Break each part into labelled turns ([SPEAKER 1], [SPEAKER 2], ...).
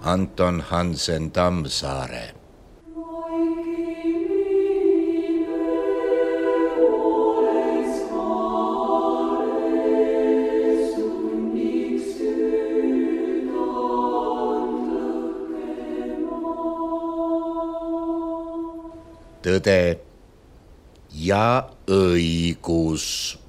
[SPEAKER 1] Anton Hansen Tammsaare. Tõde ja õigus.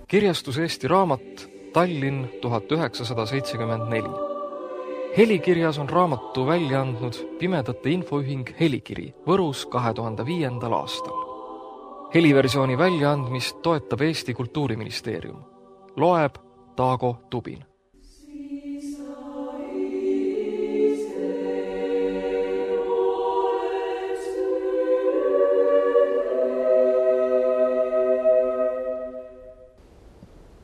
[SPEAKER 2] Kirjastus Eesti Raamat, Tallinn 1974. Helikirjas on raamatu välja andnud Pimedate Infoühing Helikiri Võrus 2005. aastal. Heliversiooni väljaandmist toetab Eesti Kultuuriministeerium. Loeb Taago Tubin.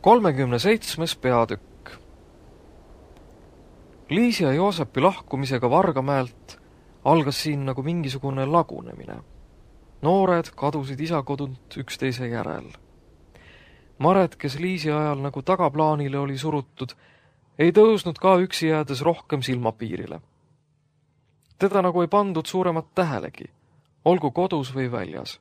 [SPEAKER 2] Kolmekümne 7. peatükk. Liisi ja Joosepi lahkumisega Vargamäelt algas siin nagu mingisugune lagunemine. Noored kadusid isakodunt üksteise järel. Maret, kes Liisi ajal nagu tagaplaanile oli surutud, ei tõusnud ka üksi jäädes rohkem silmapiirile. Teda nagu ei pandud suuremat tähelegi, olgu kodus või väljas.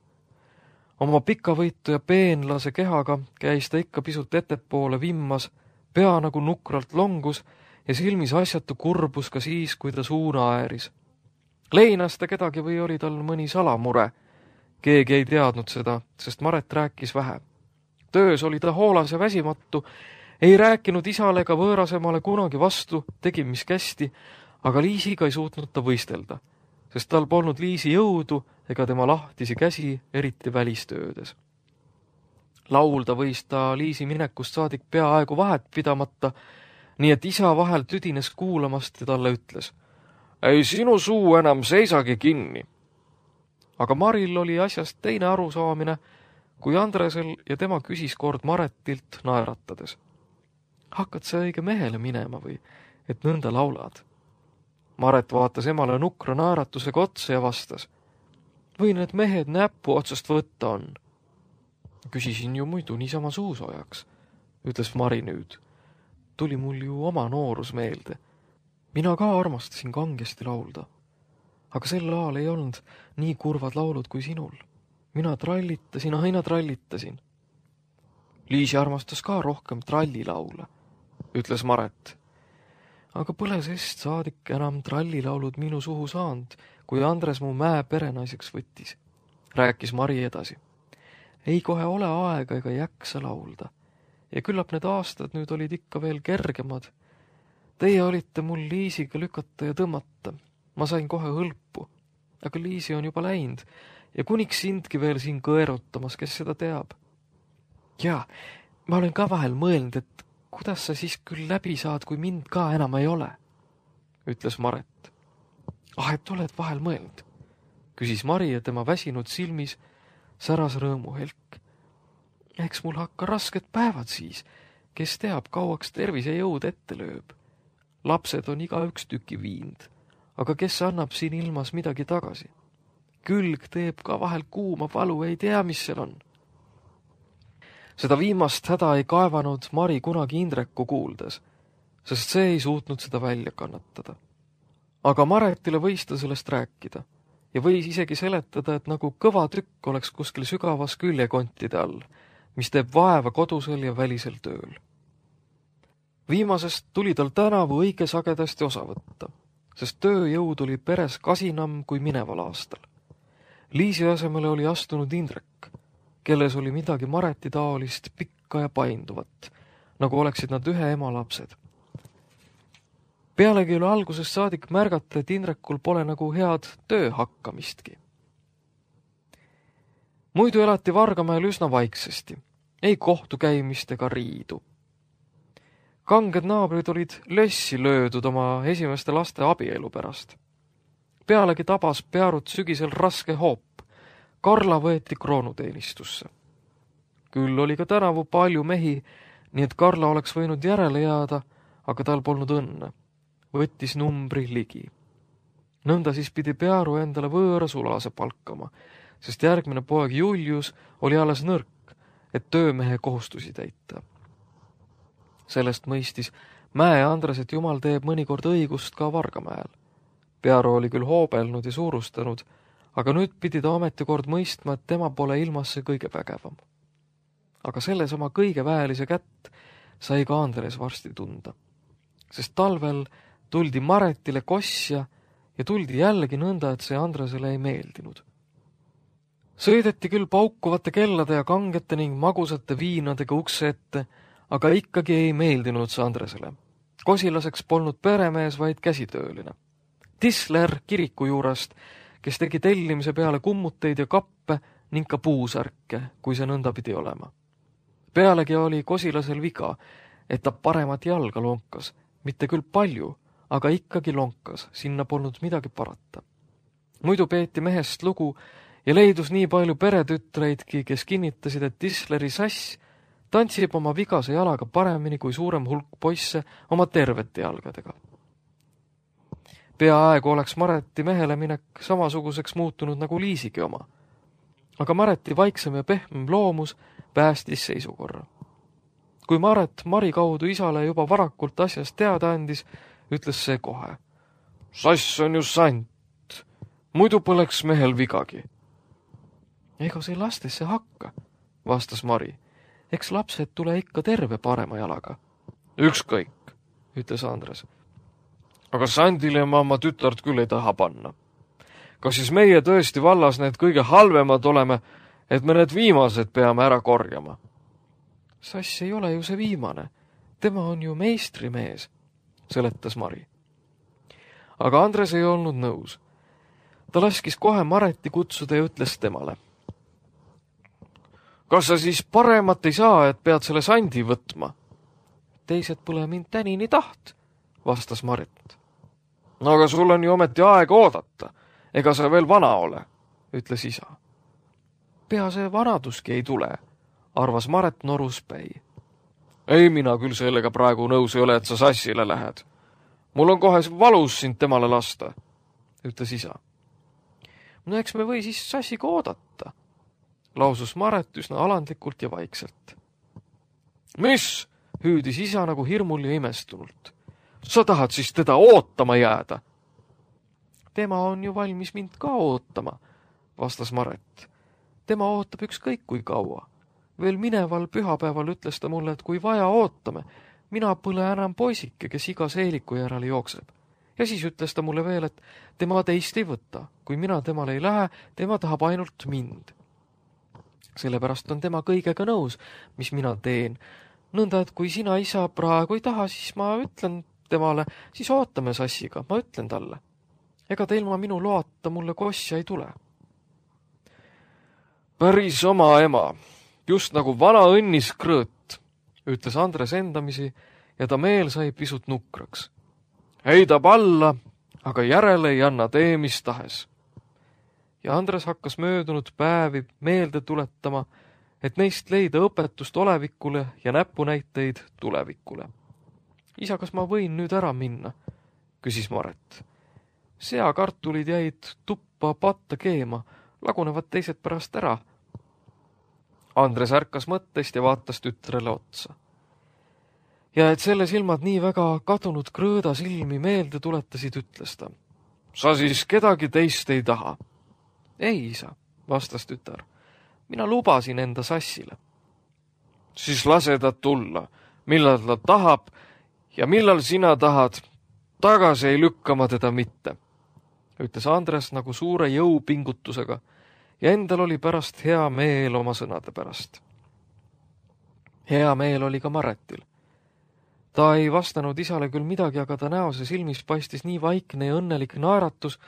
[SPEAKER 2] Oma pikavõitu ja peenlase kehaga käis ta ikka pisut ettepoole vimmas, pea nagu nukralt longus ja silmis asjatu kurbus ka siis, kui ta suuna ääris. Leinas ta kedagi või oli tal mõni salamure. Keegi ei teadnud seda, sest Maret rääkis vähe. Töös oli ta hoolas ja väsimatu, ei rääkinud isale ega võõrasemale kunagi vastu, tegi mis kästi, aga Liisiga ei suutnud ta võistelda, sest tal polnud Liisi jõudu ega tema lahtisi käsi, eriti välistöödes. Laulda võis ta Liisi minekust saadik peaaegu vahet pidamata, nii et isa vahel tüdines kuulamast ja talle ütles: "Ei sinu suu enam seisagi kinni." Aga Maril oli asjast teine arusaamine, kui Andresel ja tema küsis kord Maretilt naeratades: "Hakkad sa õige mehele minema või, et nõnda laulad?" Maret vaatas emale nukra naeratusega otsa ja vastas: "Või need mehed näppu otsast võtta on?" "Küsisin ju muidu niisama suusoojaks," ütles Mari nüüd. "Tuli mul ju oma noorus meelde. Mina ka armastasin kangesti laulda. Aga sel ajal ei olnud nii kurvad laulud kui sinul. Mina trallitasin, aina trallitasin." "Liisi armastas ka rohkem trallilaule," ütles Maret. "Aga pole sest saadik enam trallilaulud minu suhu saanud, kui Andres mu mäe perenaiseks võttis," rääkis Mari edasi. "Ei kohe ole aega ega jaksa laulda. Ja küllap need aastad nüüd olid ikka veel kergemad. Teie olite mul Liisiga lükata ja tõmmata. Ma sain kohe hõlpu. Aga Liisi on juba läinud ja kuniks sindki veel siin kõerutamas, kes seda teab. Ja, ma olen ka vahel mõelnud, et kuidas sa siis küll läbi saad, kui mind ka enam ei ole," ütles Maret. Et oled vahel mõelnud?" küsis Mari ja tema väsinud silmis säras rõõmuhelk. "Eks mul hakka rasked päevad siis, kes teab, kauaks tervise jõud ette lööb. Lapsed on igaüks tüki viind, aga kes annab siin ilmas midagi tagasi? Külg teeb ka vahel kuuma valu, ei tea, mis seal on." Seda viimast häda ei kaevanud Mari kunagi Indreku kuuldes, sest see ei suutnud seda välja kannatada. Aga Maretile võis ta sellest rääkida ja võis isegi seletada, et nagu kõva tükk oleks kuskil sügavas küljekontide all, mis teeb vaeva kodusel ja välisel tööl. Viimasest tuli tal tänavu õige sagedasti osa võtta, sest tööjõud oli peres kasinam kui mineval aastal. Liisi asemele oli astunud Indrek, kelles oli midagi Mareti taolist pikka ja painduvat, nagu oleksid nad ühe ema lapsed. Pealegi oli algusest saadik märgata, et Indrekul pole nagu head töö hakkamistki. Muidu elati Vargamäel üsna vaiksesti, ei kohtukäimist ega riidu. Kanged naabrid olid lössi löödud oma esimeste laste abielu pärast. Pealegi tabas Pearut sügisel raske hoop. Karla võeti kroonuteenistusse. Küll oli ka tänavu palju mehi, nii et Karla oleks võinud järele jääda, aga tal polnud õnne. võttis numbri ligi. Nõnda siis pidi Pearu endale võõra sulase palkama, sest järgmine poeg Julius oli alles nõrk, et töömehe kohustusi täita. Sellest mõistis Mäe Andres, et Jumal teeb mõnikord õigust ka Vargamäel. Pearu oli küll hoobelnud ja suurustanud, aga nüüd pidi ta ametikord mõistma, et tema pole ilmas see kõige vägevam. Aga selles oma kõige väelise kätt sai ka Andres varsti tunda, sest talvel tuldi Maretile kossja ja tuldi jällegi nõnda, et see Andresele ei meeldinud. Sõideti küll paukuvate kellade ja kangete ning magusate viinadega ukse ette, aga ikkagi ei meeldinud see Andresele. Kosilaseks polnud peremees, vaid käsitööline. Tisler kiriku juurest, kes tegi tellimise peale kummuteid ja kappe ning ka puusärke, kui see nõnda pidi olema. Pealegi oli kosilasel viga, et ta paremat jalga lonkas, mitte küll palju, aga ikkagi lonkas, sinna polnud midagi parata. Muidu peeti mehest lugu ja leidus nii palju peretütreidki, kes kinnitasid, et Tisleri sass tantsib oma vigase jalaga paremini kui suurem hulk poisse oma tervete jalgadega. Peaaegu oleks Mareti mehele minek samasuguseks muutunud nagu Liisigi oma. Aga Mareti vaiksem ja pehmem loomus päästis seisukorra. Kui Maret Mari kaudu isale juba varakult asjast teada andis, ütles see kohe. Sass on ju sant, muidu poleks mehel vigagi. Ega see lastesse hakka, vastas Mari. Eks lapsed tule ikka terve parema jalaga. Ükskõik, ütles Andres. Aga Sandile ma oma tütart küll ei taha panna. Kas siis meie tõesti vallas need kõige halvemad oleme, et me need viimased peame ära korjama? Sass ei ole ju see viimane. Tema on ju meistrimees, seletas Mari. Aga Andres ei olnud nõus. Ta laskis kohe Mareti kutsuda ja ütles temale. Kas sa siis paremat ei saa, et pead selle Sandi võtma? Teised pole mind tänini taht, vastas Maret. No aga sul on ju ometi aega oodata. Ega sa veel vana ole, ütles isa. Pea see vanaduski ei tule, arvas Maret noruspäi. Ei, mina küll sellega praegu nõus ei ole, et sa sassile lähed. Mul on kohe valus sind temale lasta, ütles isa. No eks me või siis sassiga oodata, lausus Maret üsna alandlikult ja vaikselt. Mis? Hüüdis isa nagu hirmul ja imestunult. Sa tahad siis teda ootama jääda? Tema on ju valmis mind ka ootama, vastas Maret. Tema ootab ükskõik kui kaua. Veel mineval pühapäeval ütles ta mulle, et kui vaja ootame, mina pole enam poisike, kes iga seeliku järele jookseb. Ja siis ütles ta mulle veel, et tema teist ei võta. Kui mina temale ei lähe, tema tahab ainult mind. Sellepärast on tema kõigega nõus, mis mina teen. Nõnda, et kui sina isa praegu ei taha, siis ma ütlen temale, siis ootame sassiga, ma ütlen talle. Ega ta ilma minu loata mulle kossja ei tule. Päris oma ema, just nagu vana õnnis krõõt, ütles Andres endamisi ja ta meel sai pisut nukraks. Heidab alla, aga järele ei anna tee mis tahes. Ja Andres hakkas möödunud päevi meelde tuletama, et neist leida õpetust olevikule ja näpunäiteid tulevikule. Isa, kas ma võin nüüd ära minna? Küsis Maret. Seakartulid jäid tuppa patta keema, lagunevad teised pärast ära. Andres ärkas mõttest ja vaatas tütrele otsa. Ja et selle silmad nii väga kadunud krõõda silmi meelde tuletasid, ütles ta. Sa siis kedagi teist ei taha? Ei, isa, vastas tütar. Mina lubasin enda sassile. Siis lase ta tulla, millal ta tahab ja millal sina tahad, tagasi ei lükkama teda mitte, ütles Andres nagu suure jõupingutusega ja endal oli pärast hea meel oma sõnade pärast. Hea meel oli ka Maretil. Ta ei vastanud isale küll midagi, aga ta näos ja silmis paistis nii vaikne ja õnnelik naeratus,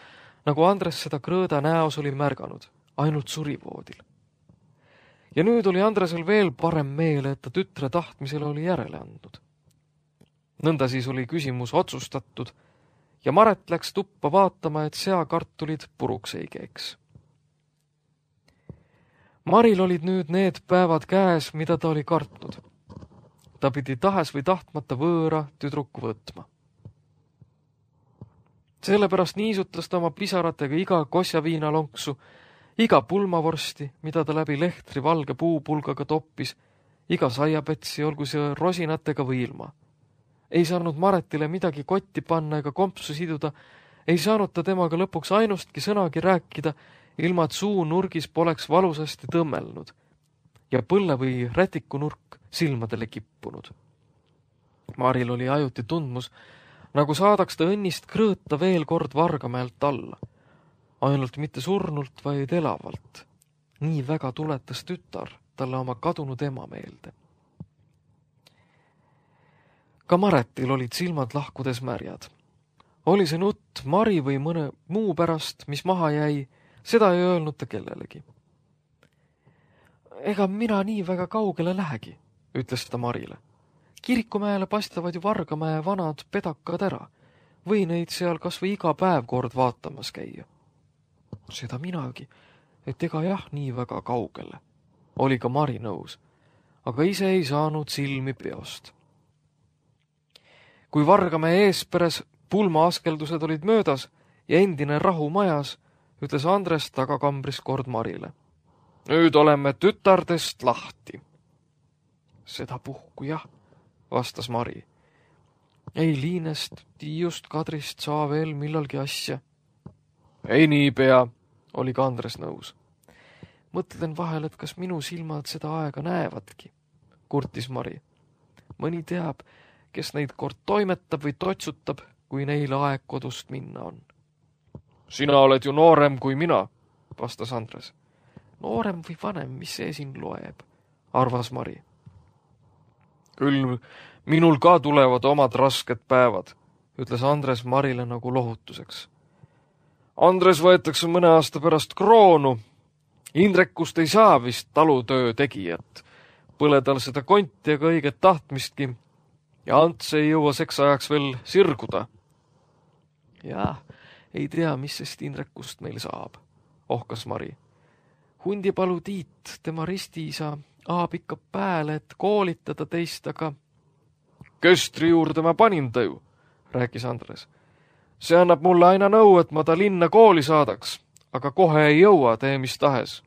[SPEAKER 2] nagu Andres seda krõõda näos oli märganud, ainult surivoodil. Ja nüüd oli Andresel veel parem meel, et ta tütre tahtmisele oli järele andnud. Nõnda siis oli küsimus otsustatud ja Maret läks tuppa vaatama, et seakartulid puruks ei keeks. Maril olid nüüd need päevad käes, mida ta oli kartnud. Ta pidi tahes või tahtmata võõra tüdruku võtma. Sellepärast niisutas ta oma pisaratega iga kosjaviinalonksu, iga pulmavorsti, mida ta läbi lehtri valge puupulgaga toppis, iga saiapätsi, olgu see rosinatega või ilma. Ei saanud Maretile midagi kotti panna ega kompsu siduda, ei saanud ta temaga lõpuks ainustki sõnagi rääkida, ilma et suu nurgis poleks valusasti tõmmelnud ja põlle või rätikunurk silmadele kippunud. Maril oli ajuti tundmus, nagu saadaks ta õnnist krõõta veel kord Vargamäelt alla. Ainult mitte surnult, vaid elavalt. Nii väga tuletas tütar talle oma kadunud ema meelde. Ka Maretil olid silmad lahkudes märjad. Oli see nutt Mari või mõne muu pärast, mis maha jäi, seda ei öelnud ta kellelegi. Ega mina nii väga kaugele lähegi, ütles ta Marile. Kirikumäele paistavad ju Vargamäe vanad pedakad ära. Või neid seal kas või iga päev kord vaatamas käia. Seda minagi, et ega jah nii väga kaugele. Oli ka Mari nõus, aga ise ei saanud silmi peost. Kui Vargamäe eesperes pulmaaskeldused olid möödas ja endine rahu majas, ütles Andres tagakambris kord Marile. Nüüd oleme tütardest lahti. Seda puhku jah, vastas Mari. Ei Liinest, Tiiust, Kadrist saa veel millalgi asja. Ei niipea, oli ka Andres nõus. Mõtlen vahel, et kas minu silmad seda aega näevadki, kurtis Mari. Mõni teab, kes neid kord toimetab või totsutab, kui neil aeg kodust minna on. Sina oled ju noorem kui mina, vastas Andres. Noorem või vanem, mis see siin loeb, arvas Mari. Küll minul ka tulevad omad rasked päevad, ütles Andres Marile nagu lohutuseks. Andres võetakse mõne aasta pärast kroonu. Indrekust ei saa vist talutöö tegijat. Põle tal seda konti ega õiget tahtmistki ja Ants ei jõua seks ajaks veel sirguda. Jah, ei tea, mis sest Indrekust meil saab, ohkas Mari. Hundipalu Tiit, tema ristiisa, aab ikka pääle, et koolitada teist, aga... Köstri juurde ma panin ta ju, rääkis Andres. See annab mulle aina nõu, et ma ta linna kooli saadaks, aga kohe ei jõua, tee mis tahes.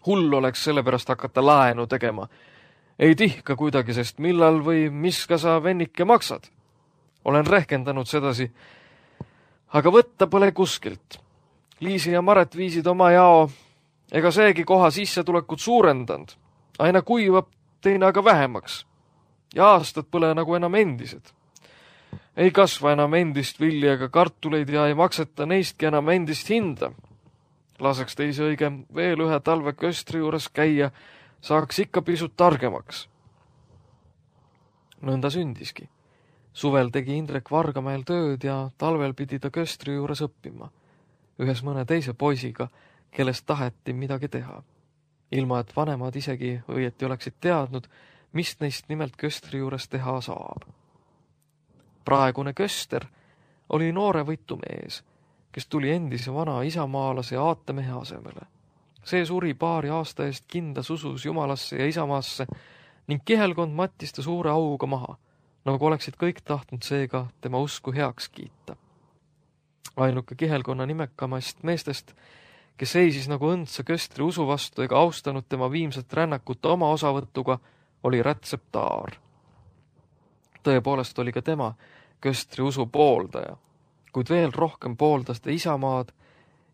[SPEAKER 2] Hull oleks sellepärast hakata laenu tegema. Ei tihka kuidagi, sest millal või miska sa vennike maksad. Olen rehkendanud sedasi, aga võtta pole kuskilt. Liisi ja Maret viisid oma jao, ega seegi koha sissetulekut suurendanud. Aina kuivab, teine aga vähemaks. Ja aastad pole nagu enam endised. Ei kasva enam endist vilja ega kartuleid ja ei makseta neistki enam endist hinda. Laseks teisi õige veel ühe talve köstri juures käia, saaks ikka pisut targemaks. Nõnda sündiski. Suvel tegi Indrek Vargamäel tööd ja talvel pidi ta köstri juures õppima. Ühes mõne teise poisiga, kellest taheti midagi teha. Ilma, et vanemad isegi õieti oleksid teadnud, mis neist nimelt köstri juures teha saab. Praegune köster oli noore võitumees, kes tuli endise vana isamaalase ja aatemehe asemele. See suri paari aasta eest kindas usus Jumalasse ja isamaasse ning kihelkond mattis ta suure auga maha, nagu oleksid kõik tahtnud seega tema usku heaks kiita. Ainuke kihelkonna nimekamast meestest, kes seisis nagu õndsa köstri usu vastu ega austanud tema viimset rännakut oma osavõtuga, oli Rätsep Taar. Tõepoolest oli ka tema köstri usu pooldaja, kuid veel rohkem pooldas ta isamaad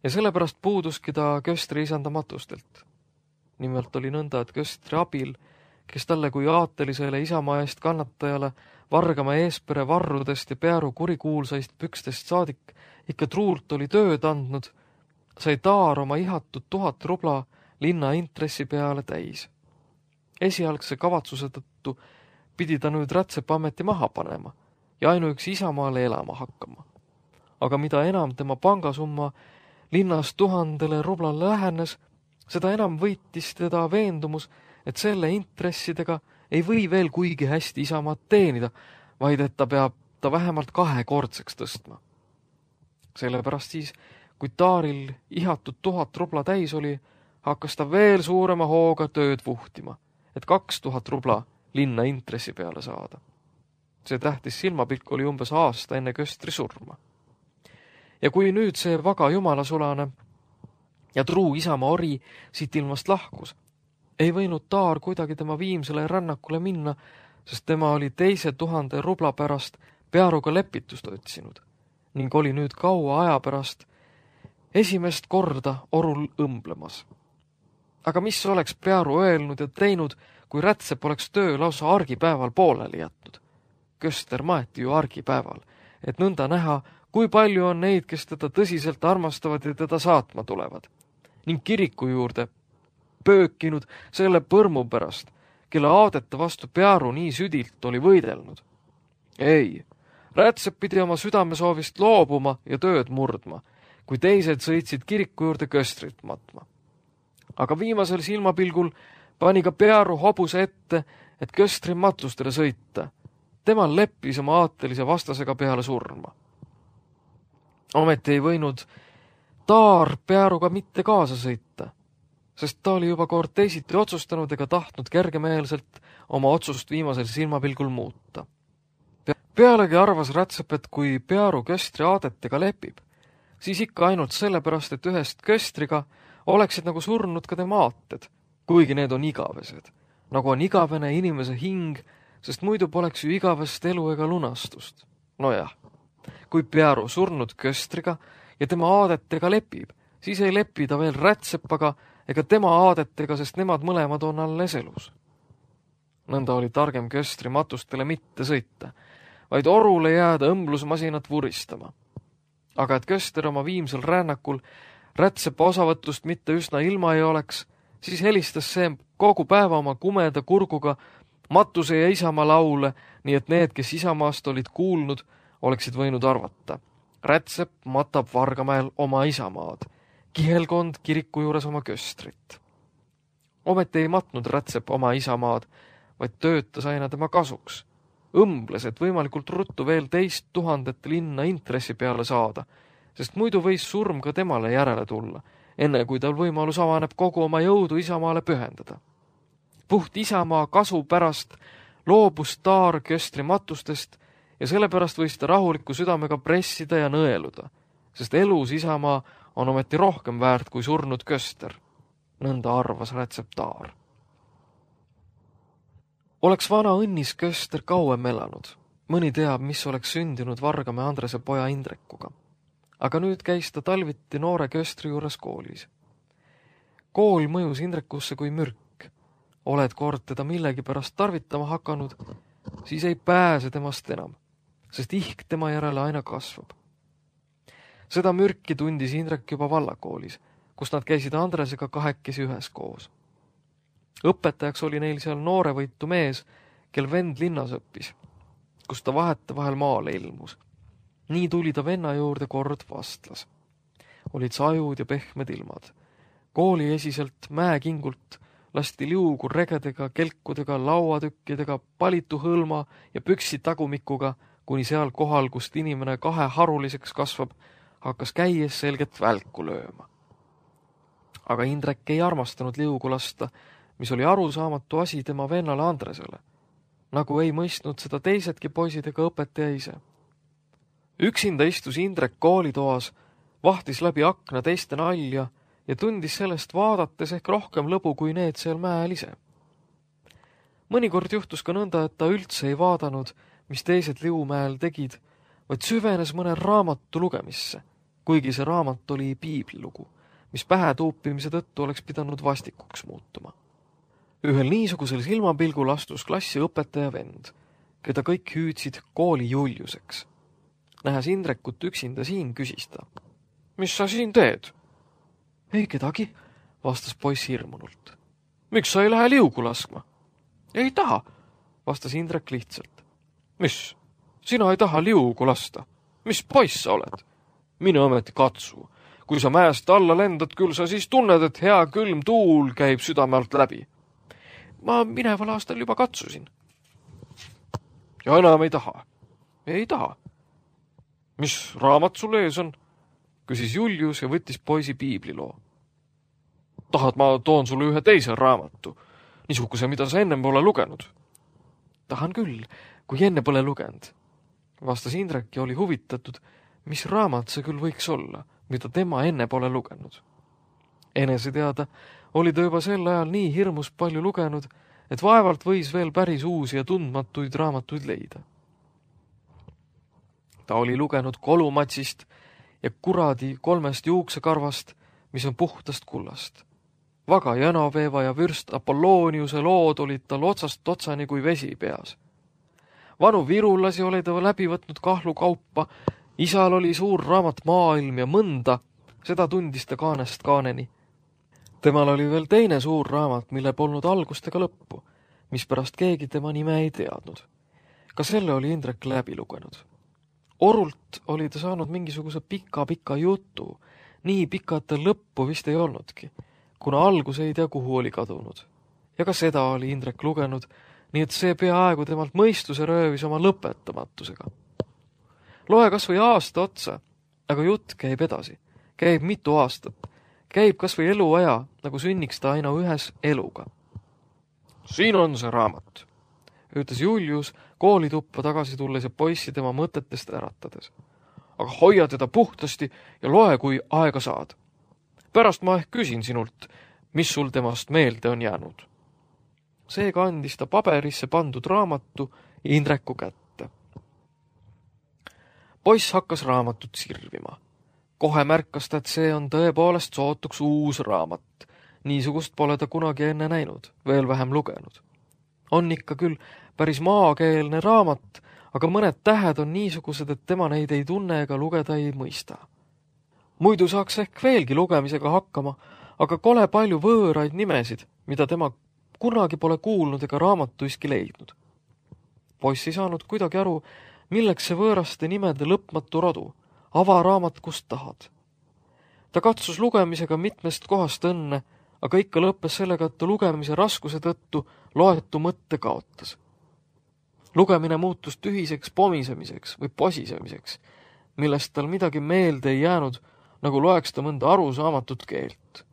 [SPEAKER 2] ja sellepärast puuduski ta köstri isandamatustelt. Nimelt oli nõnda, et köstri abil, kes talle kui aatelisele isamaa eest kannatajale Vargamäe eespere varrudest ja pearu kurikuulsaist pükstest saadik ikka truult oli tööd andnud, sai Taar oma ihatud 1000 rubla linna intressi peale täis. Esialgse kavatsuse tõttu pidi ta nüüd Rätsepameti maha panema ja ainuüksi isamaale elama hakkama. Aga mida enam tema pangasumma linnas 1000 rublale lähenes, seda enam võitis teda veendumus, et selle intressidega ei või veel kuigi hästi isamaad teenida, vaid et ta peab ta vähemalt 2-kordseks tõstma. Sellepärast siis, kui Taaril ihatud 1000 rubla täis oli, hakkas ta veel suurema hooga tööd vuhtima, et 2000 rubla linna intressi peale saada. See tähtis silmapilk oli umbes aasta enne köstri surma. Ja kui nüüd see vaga jumalasulane ja truu isamaa ori siit ilmast lahkus, ei võinud Taar kuidagi tema viimsele rännakule minna, sest tema oli 2000 rubla pärast Pearuga lepitust otsinud ning oli nüüd kaua aja pärast esimest korda orul õmblemas. Aga mis oleks Pearu öelnud ja teinud, kui Rätsep oleks töö lausa argipäeval pooleli jätnud? Köster maeti ju argipäeval, et nõnda näha, kui palju on neid, kes teda tõsiselt armastavad ja teda saatma tulevad. Ning kiriku juurde pöökinud selle põrmu pärast, kelle aadete vastu Pearu nii südilt oli võidelnud. Ei, Rätsep pidi oma südamesoovist loobuma ja tööd murdma, kui teised sõitsid kiriku juurde köstrit matma. Aga viimasel silmapilgul pani ka Pearu hobuse ette, et köstri matustele sõita. Temal leppis oma aatelise vastasega peale surma. Ometi ei võinud Taar Pearuga mitte kaasa sõita, sest ta oli juba kord teisiti otsustanud ega tahtnud kergemeelselt oma otsust viimasel silmapilgul muuta. Pealegi arvas Rätsep, et kui Pearu köstri aadetega lepib, siis ikka ainult sellepärast, et ühest köstriga oleksid nagu surnud ka tema aated, kuigi need on igavesed, nagu on igavene inimese hing, sest muidu poleks ju igavest elu ega lunastust. Nojah, kui Pearu surnud köstriga ja tema aadetega lepib, siis ei lepi ta veel Rätsepaga ega tema aadetega, sest nemad mõlemad on alles elus. Nõnda oli targem köstri matustele mitte sõita, vaid orule jääda õmblusmasinat vuristama. Aga et köster oma viimsel rännakul Rätsepa osavõtust mitte üsna ilma ei oleks, siis helistas see kogu päeva oma kumeda kurguga matuse ja isamaa laule, nii et need, kes isamaast olid kuulnud, oleksid võinud arvata. Rätsep matab Vargamäel oma isamaad, kihelkond kiriku juures oma köstrit. Ometi ei matnud Rätsep oma isamaad, vaid töötas aina tema kasuks. Õmbles, et võimalikult ruttu veel 2000 linna intressi peale saada, sest muidu võis surm ka temale järele tulla, enne kui tal võimalus avaneb kogu oma jõudu isamaale pühendada. Puht isamaa kasu pärast loobus Taar köstri matustest ja sellepärast võis ta rahuliku südamega pressida ja nõeluda, sest elus isamaa on ometi rohkem väärt kui surnud köster. Nõnda arvas Rätsep Taar. Oleks vana õnnis köster kauem elanud. Mõni teab, mis oleks sündinud Vargamäe Andrese poja Indrekuga. Aga nüüd käis ta talviti noore köstri juures koolis. Kool mõjus Indrekusse kui mürk. Oled kord teda millegi pärast tarvitama hakanud, siis ei pääse temast enam, sest ihk tema järele aina kasvab. Seda mürki tundis Indrek juba vallakoolis, kus nad käisid Andresega kahekesi üheskoos. Õpetajaks oli neil seal noorevõitu mees, kel vend linnas õppis, kus ta vahetevahel maale ilmus. Nii tuli ta venna juurde kord vastlas. Olid sajud ja pehmed ilmad. Kooli esiselt mäekingult lasti liugu regedega, kelkudega, lauatükkidega, palitu hõlma ja püksi tagumikuga, kuni seal kohal, kust inimene kahe haruliseks kasvab, hakkas käies selget välku lööma. Aga Indrek ei armastanud liugu lasta, mis oli arusaamatu asi tema vennale Andresele, nagu ei mõistnud seda teisedki poisid ega õpetaja ise. Üksinda istus Indrek koolitoas, vahtis läbi akna teiste nalja ja tundis sellest vaadates ehk rohkem lõbu kui need seal mäel ise. Mõnikord juhtus ka nõnda, et ta üldse ei vaadanud, mis teised Liumäel tegid, vaid süvenes mõne raamatu lugemisse, kuigi see raamat oli piiblilugu, mis pähe tuupimise tõttu oleks pidanud vastikuks muutuma. Ühel niisugusel silmapilgul astus klassi õpetaja vend, keda kõik hüüdsid kooli Juliuseks. Nähes Indrekut üksinda siin, küsis ta. Mis sa siin teed? Ei kedagi, vastas poiss hirmunult. Miks sa ei lähe liugu laskma? Ei taha, vastas Indrek lihtsalt. Mis? Sina ei taha liugu lasta? Mis poiss sa oled? Mine ometi katsu. Kui sa mäest alla lendad, küll sa siis tunned, et hea külm tuul käib südame alt läbi. Ma mineval aastal juba katsusin. Ja enam ei taha? Ei taha. Mis raamat sul ees on? Küsis Julius ja võttis poisi piibliloo. Tahad, ma toon sulle ühe teise raamatu, niisuguse, mida sa enne pole lugenud? Tahan küll, kui enne pole lugenud, vastas Indrek ja oli huvitatud, mis raamat see küll võiks olla, mida tema enne pole lugenud. Enese teada oli ta juba sel ajal nii hirmus palju lugenud, et vaevalt võis veel päris uusi ja tundmatuid raamatuid leida. Ta oli lugenud Kolumatsist ja Kuradi 3 juuksekarvast, mis on puhtast kullast. Vaga Janoveeva ja vürst Apollooniuse lood olid tal otsast otsani kui vesi peas. Vanu virulasi oli ta läbi võtnud kahlukaupa, isal oli suur raamat Maailm ja mõnda, seda tundis ta kaanest kaaneni. Temal oli veel teine suur raamat, mille polnud algust ega lõppu, mispärast keegi tema nime ei teadnud. Ka selle oli Indrek läbi lugenud. Orult oli ta saanud mingisuguse pika jutu, nii pika, et ta lõppu vist ei olnudki, kuna algus ei tea, kuhu oli kadunud. Ja ka seda oli Indrek lugenud, nii et see peaaegu temalt mõistuse röövis oma lõpetamatusega. Loe kas või aasta otsa, aga jutt käib edasi. Käib mitu aastat. Käib kas või eluaja, nagu sünniks ta aina ühes eluga. Siin on see raamat, ütles Julius koolituppa tagasi tulles ja poissi tema mõtetest äratades. Aga hoia teda puhtasti ja loe, kui aega saad. Pärast ma ehk küsin sinult, mis sul temast meelde on jäänud. Seega andis ta paberisse pandud raamatu Indreku kätte. Poiss hakkas raamatut sirvima. Kohe märkas ta, et see on tõepoolest sootuks uus raamat. Niisugust pole ta kunagi enne näinud, veel vähem lugenud. On ikka küll päris maakeelne raamat, aga mõned tähed on niisugused, et tema neid ei tunne ega lugeda ei mõista. Muidu saaks ehk veelgi lugemisega hakkama, aga kole palju võõraid nimesid, mida tema kunagi pole kuulnud ega raamatuiski leidnud. Poiss ei saanud kuidagi aru, milleks see võõraste nimede lõpmatu rodu, avaraamat kust tahad. Ta katsus lugemisega mitmest kohast õnne, aga ikka lõppes sellega, et ta lugemise raskuse tõttu loetu mõtte kaotas. Lugemine muutus tühiseks pomisemiseks või posisemiseks, millest tal midagi meelde ei jäänud, nagu loeks ta mõnda arusaamatut keelt.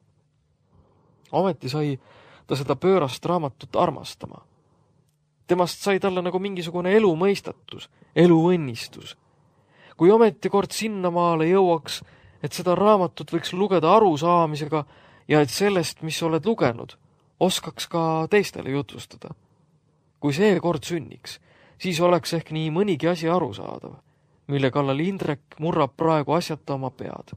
[SPEAKER 2] Ometi sai ta seda pöörast raamatut armastama. Temast sai talle nagu mingisugune elumõistatus, eluõnnistus. Kui ometi kord sinnamaale jõuaks, et seda raamatut võiks lugeda arusaamisega ja et sellest, mis oled lugenud, oskaks ka teistele jutustada. Kui see kord sünniks, siis oleks ehk nii mõnigi asi arusaadav, mille kallal Indrek murrab praegu asjata oma pead.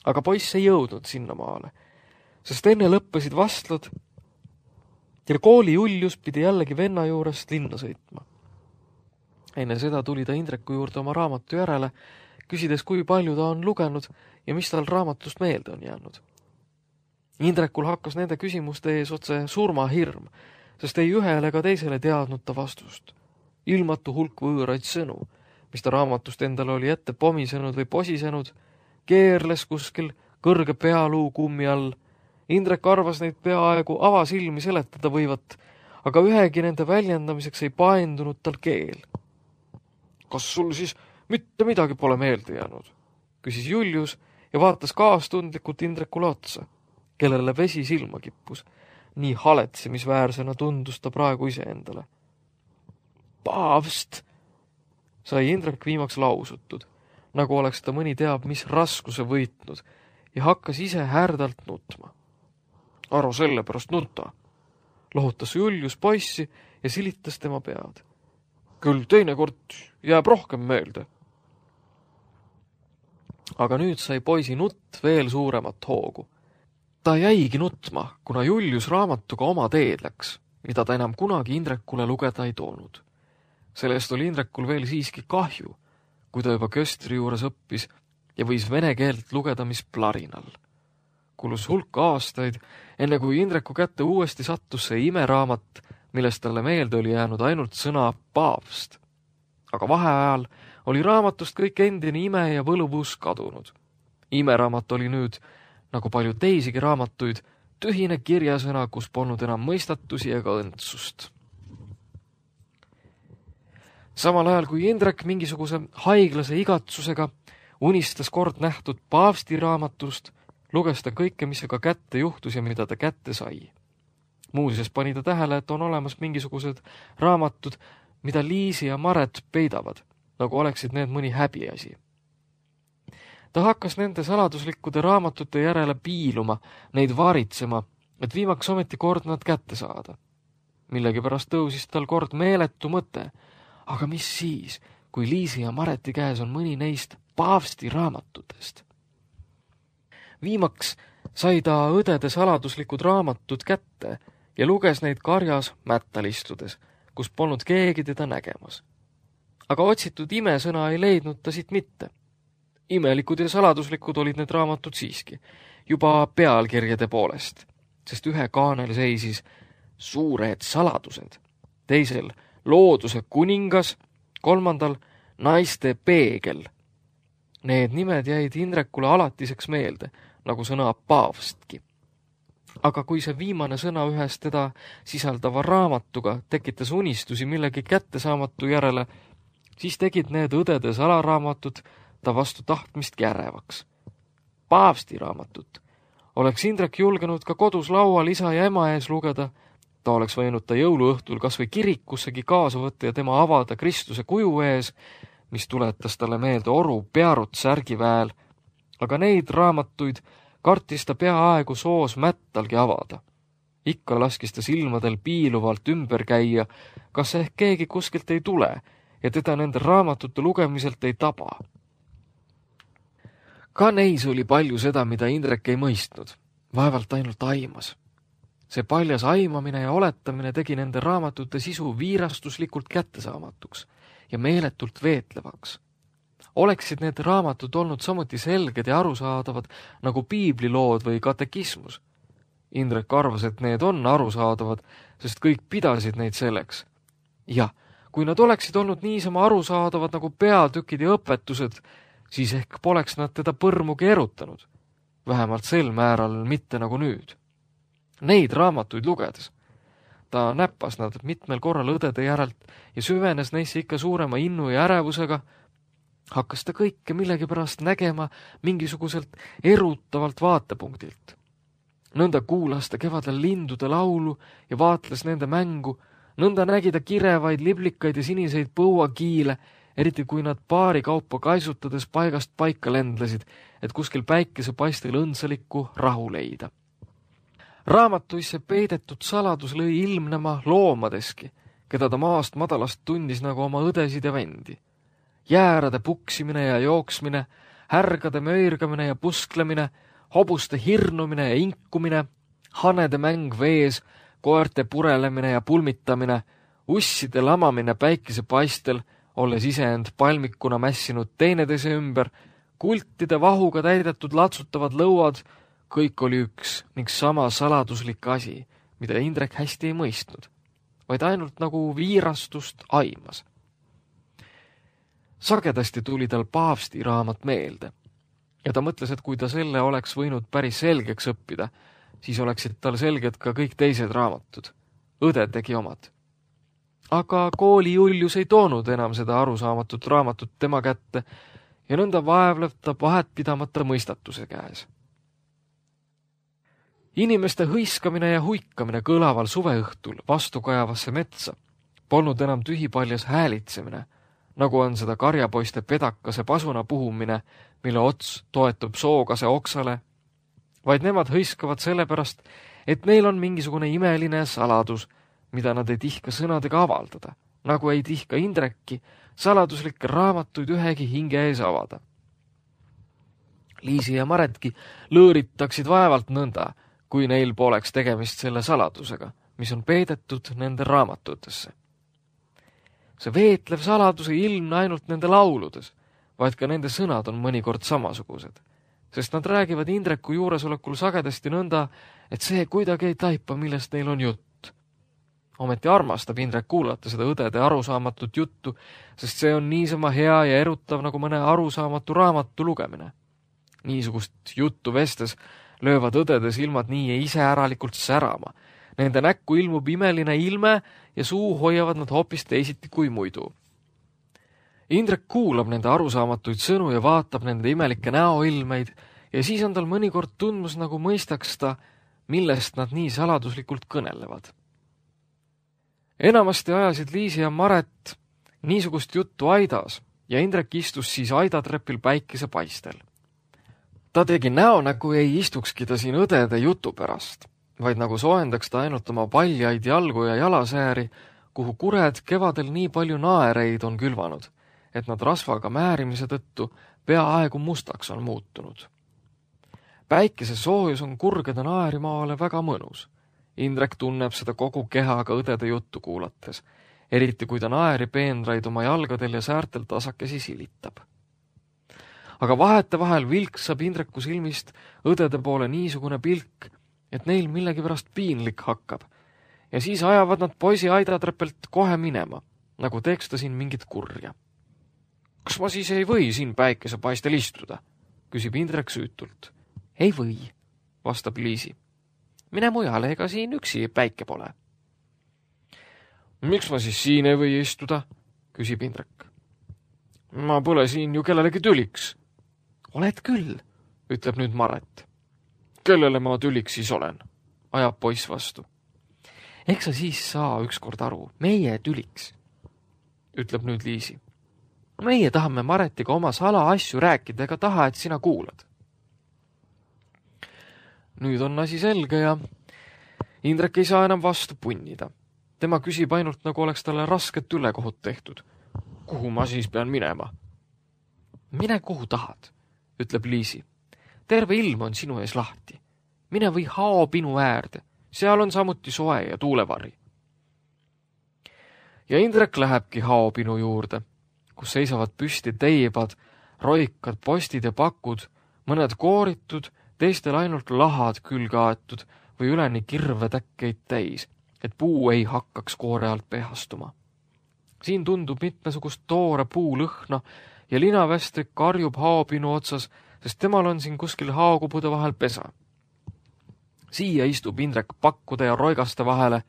[SPEAKER 2] Aga poiss ei jõudnud sinnamaale, sest enne lõppesid vastlad ja kooli Julius pidi jällegi venna juurest linna sõitma. Enne seda tuli ta Indreku juurde oma raamatu järele, küsides, kui palju ta on lugenud ja mis tal raamatust meelde on jäänud. Indrekul hakkas nende küsimuste ees otse surmahirm, sest ei ühele ega teisele teadnud ta vastust. Ilmatu hulk võõraid sõnu, mis ta raamatust endale oli ette pomisenud või posisenud, keerles kuskil kõrge pealuu kummi all. Indrek arvas neid peaaegu avasilmi seletada võivat, aga ühegi nende väljendamiseks ei paendunud tal keel. Kas sul siis mitte midagi pole meelde jäänud? Küsis Julius ja vaatas kaastundlikult Indrekule otsa, kellele vesi silma kippus. Nii haletsemisväärsena tundus ta praegu iseendale. Paavst, sai Indrek viimaks lausutud, nagu oleks ta mõni teab, mis raskuse võitnud ja hakkas ise härdalt nutma. Arvo sellepärast nuta, lohutas Julius poissi ja silitas tema pead. Küll teinekord jääb rohkem meelde. Aga nüüd sai poisi nutt veel suuremat hoogu. Ta jäigi nutma, kuna Julius raamatuga oma teed läks, mida ta enam kunagi Indrekule lugeda ei toonud. Sellest oli Indrekul veel siiski kahju, kui ta juba köstri juures õppis ja võis vene keelt lugeda mis plarinal. Kulus hulk aastaid, enne kui Indreku kätte uuesti sattus see imeraamat, millest talle meelde oli jäänud ainult sõna paavst. Aga vaheajal oli raamatust kõik endine ime ja võluvus kadunud. Imeraamat oli nüüd, nagu palju teisigi raamatuid, tühine kirjasõna, kus polnud enam mõistatusi ega õndsust. Samal ajal kui Indrek mingisuguse haiglase igatsusega unistas kord nähtud paavsti raamatust, luges ta kõike, mis aga kätte juhtus ja mida ta kätte sai. Muuseas pani ta tähele, et on olemas mingisugused raamatud, mida Liisi ja Maret peidavad, nagu oleksid need mõni häbiasi. Ta hakkas nende saladuslikkude raamatute järele piiluma, neid varitsema, et viimaks ometi kord nad kätte saada. Millegipärast tõusis tal kord meeletu mõte, aga mis siis, kui Liisi ja Mareti käes on mõni neist paavsti raamatutest? Viimaks sai ta õdede saladuslikud raamatud kätte ja luges neid karjas mättal istudes, kus polnud keegi teda nägemas. Aga otsitud imesõna ei leidnud ta siit mitte. Imelikud ja saladuslikud olid need raamatud siiski, juba pealkirjade poolest, sest ühe kaanel seisis suured saladused, teisel looduse kuningas, kolmandal naiste peegel. Need nimed jäid Indrekule alatiseks meelde, nagu sõna paavstki. Aga kui see viimane sõna ühes teda sisaldava raamatuga tekitas unistusi millegi kättesaamatu järele, siis tegid need õdede salaraamatud ta vastu tahtmist ärevaks. Paavsti raamatut oleks Indrek julgenud ka kodus laual isa ja ema ees lugeda, ta oleks võinud ta jõuluõhtul kas või kirikussegi kaasa võtta ja tema avada Kristuse kuju ees, mis tuletas talle meelde oru Pearut särgiväel, aga neid raamatuid kartis ta peaaegu soos mättalgi avada. Ikka laskis ta silmadel piiluvalt ümber käia, kas ehk keegi kuskilt ei tule ja teda nende raamatute lugemiselt ei taba. Ka neis oli palju seda, mida Indrek ei mõistnud, vaevalt ainult aimas. See paljas aimamine ja oletamine tegi nende raamatute sisu viirastuslikult kättesaamatuks ja meeletult veetlevaks. Oleksid need raamatud olnud samuti selged ja arusaadavad nagu piiblilood või katekismus. Indrek arvas, et need on arusaadavad, sest kõik pidasid neid selleks. Ja kui nad oleksid olnud niisama arusaadavad nagu peatükid ja õpetused, siis ehk poleks nad teda põrmugi erutanud. Vähemalt sel määral mitte nagu nüüd. Neid raamatuid lugedes. Ta näppas nad mitmel korral õdede järelt ja süvenes neisse ikka suurema innu ja ärevusega, hakkas ta kõike millegipärast nägema mingisuguselt erutavalt vaatepunktilt. Nõnda kuulas ta kevadel lindude laulu ja vaatles nende mängu, nõnda nägi ta kirevaid liblikaid ja siniseid põuakiile, eriti kui nad paari kaupa kaisutades paigast paika lendlesid, et kuskil päikesepaistel õndsalikku rahu leida. Raamatuisse peidetud saladus lõi ilmnema loomadeski, keda ta maast madalast tundis nagu oma õdesid ja vendi. Jäärade puksimine ja jooksmine, härgade möirgamine ja pusklemine, hobuste hirnumine ja inkumine, hanede mäng vees, koerte purelemine ja pulmitamine, usside lamamine päikesepaistel, olles iseend palmikuna mässinud teineteise ümber, kultide vahuga täidetud latsutavad lõuad, kõik oli üks ning sama saladuslik asi, mida Indrek hästi ei mõistnud, vaid ainult nagu viirastust aimas. Sagedasti tuli tal paavsti raamat meelde ja ta mõtles, et kui ta selle oleks võinud päris selgeks õppida, siis oleksid tal selged ka kõik teised raamatud. Õde tegi omad. Aga kooli Julius ei toonud enam seda arusaamatut raamatut tema kätte ja nõnda vaevlev ta vahet pidamata mõistatuse käes. Inimeste hõiskamine ja huikamine kõlaval suveõhtul vastukajavasse metsa polnud enam tühipaljas häälitsemine, nagu on seda karjapoiste pedakase pasuna puhumine, mille ots toetub sookase oksale, vaid nemad hõiskavad sellepärast, et neil on mingisugune imeline saladus, mida nad ei tihka sõnadega avaldada, nagu ei tihka Indrekki saladuslikke raamatuid ühegi hinge ees avada. Liisi ja Maretki lõõritaksid vaevalt nõnda, kui neil poleks tegemist selle saladusega, mis on peidetud nende raamatutesse. See veetlev saladus ei ilmne ainult nende lauludes, vaid ka nende sõnad on mõnikord samasugused, sest nad räägivad Indreku juuresolekul sagedasti nõnda, et see kuidagi ei taipa, millest neil on jutt. Ometi armastab Indrek kuulata seda õdede arusaamatut juttu, sest see on niisama hea ja erutav nagu mõne arusaamatu raamatu lugemine. Niisugust juttu vestes löövad õdede silmad nii iseäralikult särama. Nende näkku ilmub imeline ilme ja suu hoiavad nad hoopis teisiti kui muidu. Indrek kuulab nende arusaamatuid sõnu ja vaatab nende imelikke näoilmeid ja siis on tal mõnikord tundmus, nagu mõistaks ta, millest nad nii saladuslikult kõnelevad. Enamasti ajasid Liisi ja Maret niisugust juttu aidas, ja Indrek istus siis aidatrepil päikesepaistel. Ta tegi näo, nagu ei istukski ta siin õdede jutu pärast, vaid nagu soojendaks ta ainult oma paljaid jalgu ja jalasääri, kuhu kured kevadel nii palju naereid on külvanud, et nad rasvaga määrimise tõttu peaaegu mustaks on muutunud. Päikese soojus on kurgede naerimaale väga mõnus. Indrek tunneb seda kogu kehaga õdede juttu kuulates, eriti kui ta naeripeenraid oma jalgadel ja säärtel tasakesi silitab. Aga vahetevahel vilksab Indreku silmist õdede poole niisugune pilk, et neil millegipärast piinlik hakkab, ja siis ajavad nad poisi aidatrepelt kohe minema, nagu teeks ta siin mingit kurja. Kas ma siis ei või siin päikesepaistel istuda? Küsib Indrek süütult. Ei või, vastab Liisi. Mine mujale, ega siin üksi päike pole. Miks ma siis siin ei või istuda? Küsib Indrek. Ma pole siin ju kellelegi tüliks. Oled küll, ütleb nüüd Maret. Kellele ma tüliks siis olen? Ajab poiss vastu. Eks sa siis saa ükskord aru, meie tüliks, ütleb nüüd Liisi. Meie tahame Maretiga oma salaasju rääkida ega taha, et sina kuulad. Nüüd on asi selge ja Indrek ei saa enam vastu punnida. Tema küsib ainult, nagu oleks talle rasket ülekohut tehtud. Kuhu ma siis pean minema? Mine kuhu tahad, ütleb Liisi. Terve ilm on sinu ees lahti. Mine või haopinu äärde. Seal on samuti soe ja tuulevari. Ja Indrek lähebki haopinu juurde, kus seisavad püsti teibad, roikad, postid ja pakud, mõned kooritud, teistel ainult lahad külgaetud või üleni kirvetäkkeid täis, et puu ei hakkaks koore alt pehastuma. Siin tundub mitmesugust toore puulõhna ja linavästrik karjub haopinu otsas, sest temal on siin kuskil haokubude vahel pesa. Siia istub Indrek pakkude ja roigaste vahele,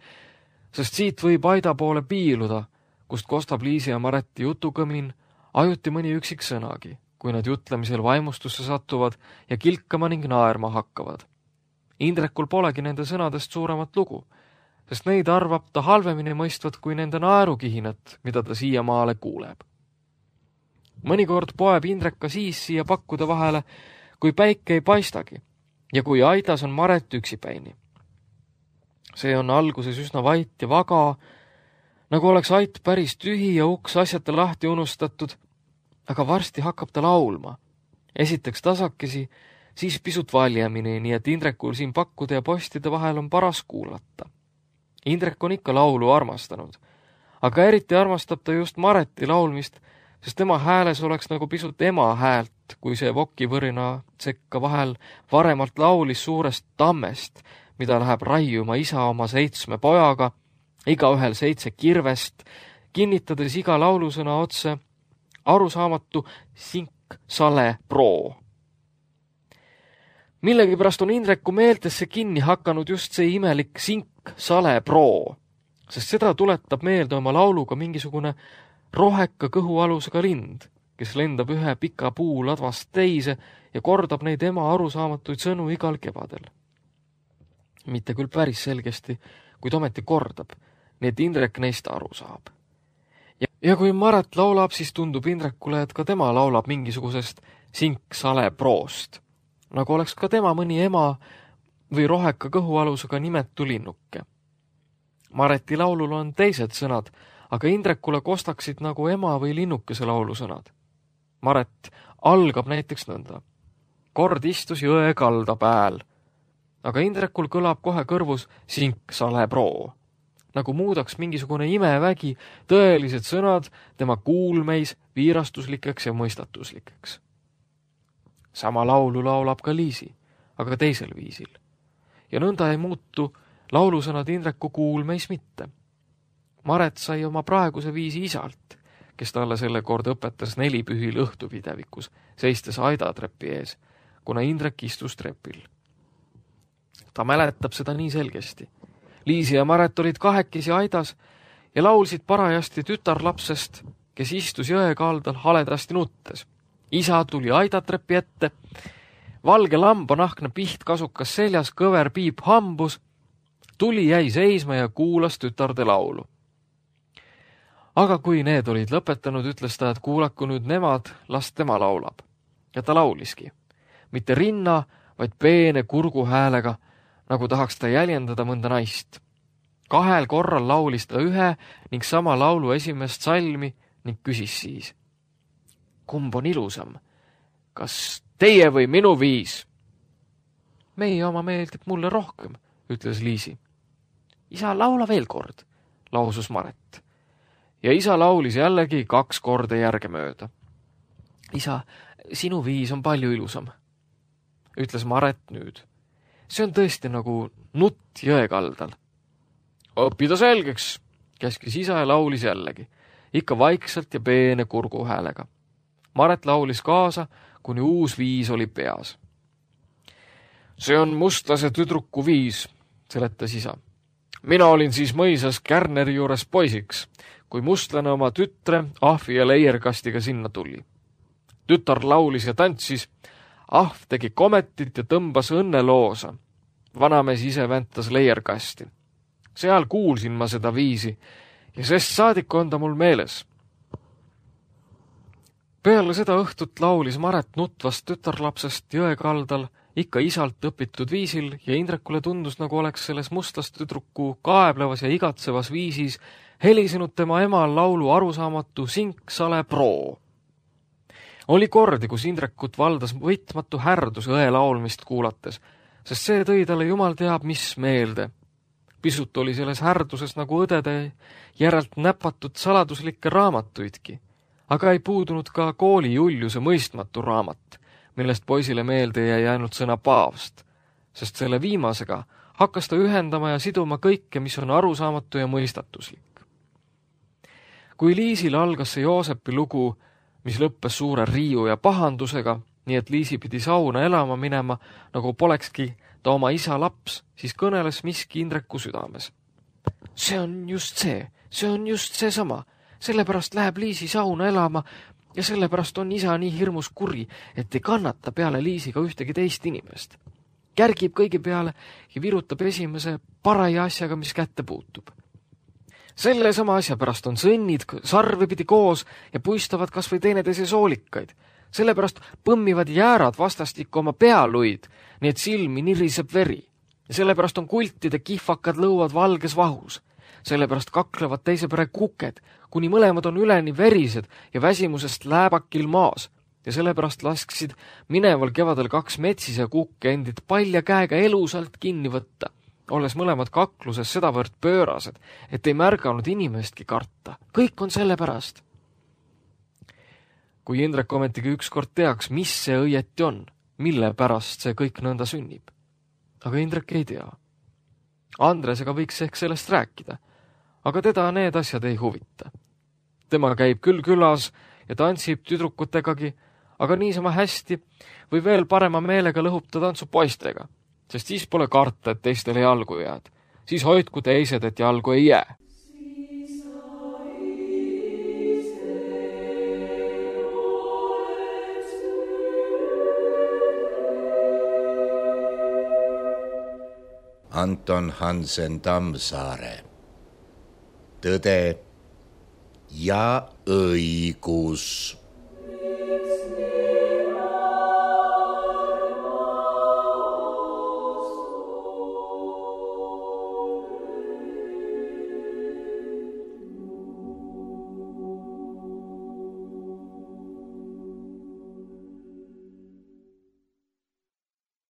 [SPEAKER 2] sest siit võib aida poole piiluda, kust kostab Liisi ja Mareti jutukõmin, ajuti mõni üksik sõnagi, kui nad jutlemisel vaimustusse satuvad ja kilkama ning naerma hakkavad. Indrekul polegi nende sõnadest suuremat lugu, sest neid arvab ta halvemini mõistvat kui nende naerukihinat, mida ta siiamaale kuuleb. Mõnikord poeb Indrek ka siis siia pakkude vahele, kui päike ei paistagi ja kui aidas on Maret üksipäini. See on alguses üsna vait ja vaga, nagu oleks ait päris tühi ja uks asjata lahti unustatud, aga varsti hakkab ta laulma. Esiteks tasakesi, siis pisut valjemini, nii et Indrekul siin pakkude ja postide vahel on paras kuulata. Indrek on ikka laulu armastanud, aga eriti armastab ta just Mareti laulmist, sest tema hääles oleks nagu pisut ema häält, kui see vokivõrina sekka vahel varemalt laulis suurest tammest, mida läheb raiuma isa oma 7 pojaga, igaühel 7 kirvest, kinnitades iga laulusõna otse arusaamatu sink, sale, proo. Millegipärast on Indreku meeltesse kinni hakanud just see imelik sink, sale, proo, sest seda tuletab meelde oma lauluga mingisugune roheka kõhualusega lind, kes lendab ühe pika puu ladvast teise ja kordab neid ema arusaamatuid sõnu igal kevadel. Mitte küll päris selgesti, kuid ometi kordab, nii et Indrek neist aru saab. Ja kui Maret laulab, siis tundub Indrekule, et ka tema laulab mingisugusest sink-sale proost, nagu oleks ka tema mõni ema või roheka kõhualusega nimetu linnuke. Mareti laulul on teised sõnad, aga Indrekule kostaksid nagu ema või linnukese laulusõnad. Maret algab näiteks nõnda. Kord istus jõe kalda pääl, aga Indrekul kõlab kohe kõrvus sink, sale, proo, nagu muudaks mingisugune imevägi tõelised sõnad tema kuulmeis viirastuslikeks ja mõistatuslikeks. Sama laulu laulab ka Liisi, aga teisel viisil. Ja nõnda ei muutu laulusõnad Indreku kuulmeis mitte. Maret sai oma praeguse viisi isalt, kes talle selle kord õpetas 4 pühil õhtupidevikus, seistes aidatrepi ees, kuna Indrek istus trepil. Ta mäletab seda nii selgesti. Liisi ja Maret olid kahekesi aidas ja laulsid parajasti tütarlapsest, kes istus jõe kaldal haledasti nuttes. Isa tuli aidatrepi ette, valge lambanahkne pihtkasukas seljas, kõver piip hambus, tuli jäi seisma ja kuulas tütarde laulu. Aga kui need olid lõpetanud, ütles ta, et kuulaku nüüd nemad, las tema laulab. Ja ta lauliski. Mitte rinna, vaid peene kurgu häälega, nagu tahaks ta jäljendada mõnda naist. 2 korral laulis ta ühe ning sama laulu esimest salmi ning küsis siis. Kumb on ilusam? Kas teie või minu viis? Meie oma meeldib mulle rohkem, ütles Liisi. Isa, laula veel kord, lausus Maret. Ja isa laulis jällegi 2 korda järgemööda. Isa, sinu viis on palju ilusam, ütles Maret nüüd. See on tõesti nagu nutt jõe kaldal. Õppida selgeks, käskis isa ja laulis jällegi, ikka vaikselt ja peene kurgu häälega. Maret laulis kaasa, kuni uus viis oli peas. See on mustlase tüdruku viis, seletas isa. Mina olin siis mõisas Kärneri juures poisiks, kui mustlane oma tütre ahvi ja leierkastiga sinna tuli. Tütar laulis ja tantsis, ahv tegi kometit ja tõmbas õnneloosa. Vanamees ise väntas leierkasti. Seal kuulsin ma seda viisi ja sest saadik on ta mul meeles. Peale seda õhtut laulis Maret nutvast tütarlapsest jõe kaldal ikka isalt õpitud viisil ja Indrekule tundus, nagu oleks selles mustlast tüdruku kaeblevas ja igatsevas viisis helisenud tema emal laulu arusaamatu sink-sale proo. Oli kordi, kus Indrekut valdas võitmatu härdus õe laulmist kuulates, sest see tõi talle jumal teab mis meelde. Pisut oli selles härduses nagu õdede järelt näpatud saladuslikke raamatuidki, aga ei puudunud ka kooli Juliuse mõistmatu raamat, millest poisile meelde jäi ainult sõna paavst, sest selle viimasega hakkas ta ühendama ja siduma kõike, mis on arusaamatu ja mõistatuslik. Kui Liisil algas see Joosepi lugu, mis lõppes suure riiu ja pahandusega, nii et Liisi pidi sauna elama minema, nagu polekski ta oma isa laps, siis kõneles miski Indreku südames. See on just seesama, sellepärast läheb Liisi sauna elama ja sellepärast on isa nii hirmus kuri, et ei kannata peale Liisiga ühtegi teist inimest. Kärgib kõigi peale ja virutab esimese paraja asjaga, mis kätte puutub. Selle sama asja pärast on sõnnid sarvepidi koos ja puistavad kas või teineteise soolikaid. Sellepärast põmmivad jäärad vastastikku oma pealuid, nii et silmi niriseb veri. Ja sellepärast on kultide kihvakad lõuad valges vahus. Sellepärast kaklevad teise pere kuked, kuni mõlemad on üleni verised ja väsimusest lääbakil maas. Ja sellepärast lasksid mineval kevadel 2 metsise kukke endid palja käega elusalt kinni võtta, olles mõlemad kakluses sedavõrd pöörased, et ei märganud inimestki karta. Kõik on selle pärast. Kui Indrek ometigi ükskord teaks, mis see õieti on, mille pärast see kõik nõnda sünnib. Aga Indrek ei tea. Andresega võiks ehk sellest rääkida, aga teda need asjad ei huvita. Tema käib küll külas ja tantsib tüdrukutegagi, aga niisama hästi või veel parema meelega lõhub ta tantsu poistega, sest siis pole karta, et teistele jalgu jääd. Siis hoidku teised, et jalgu ei jää.
[SPEAKER 1] Anton Hansen Tammsaare. Tõde ja õigus.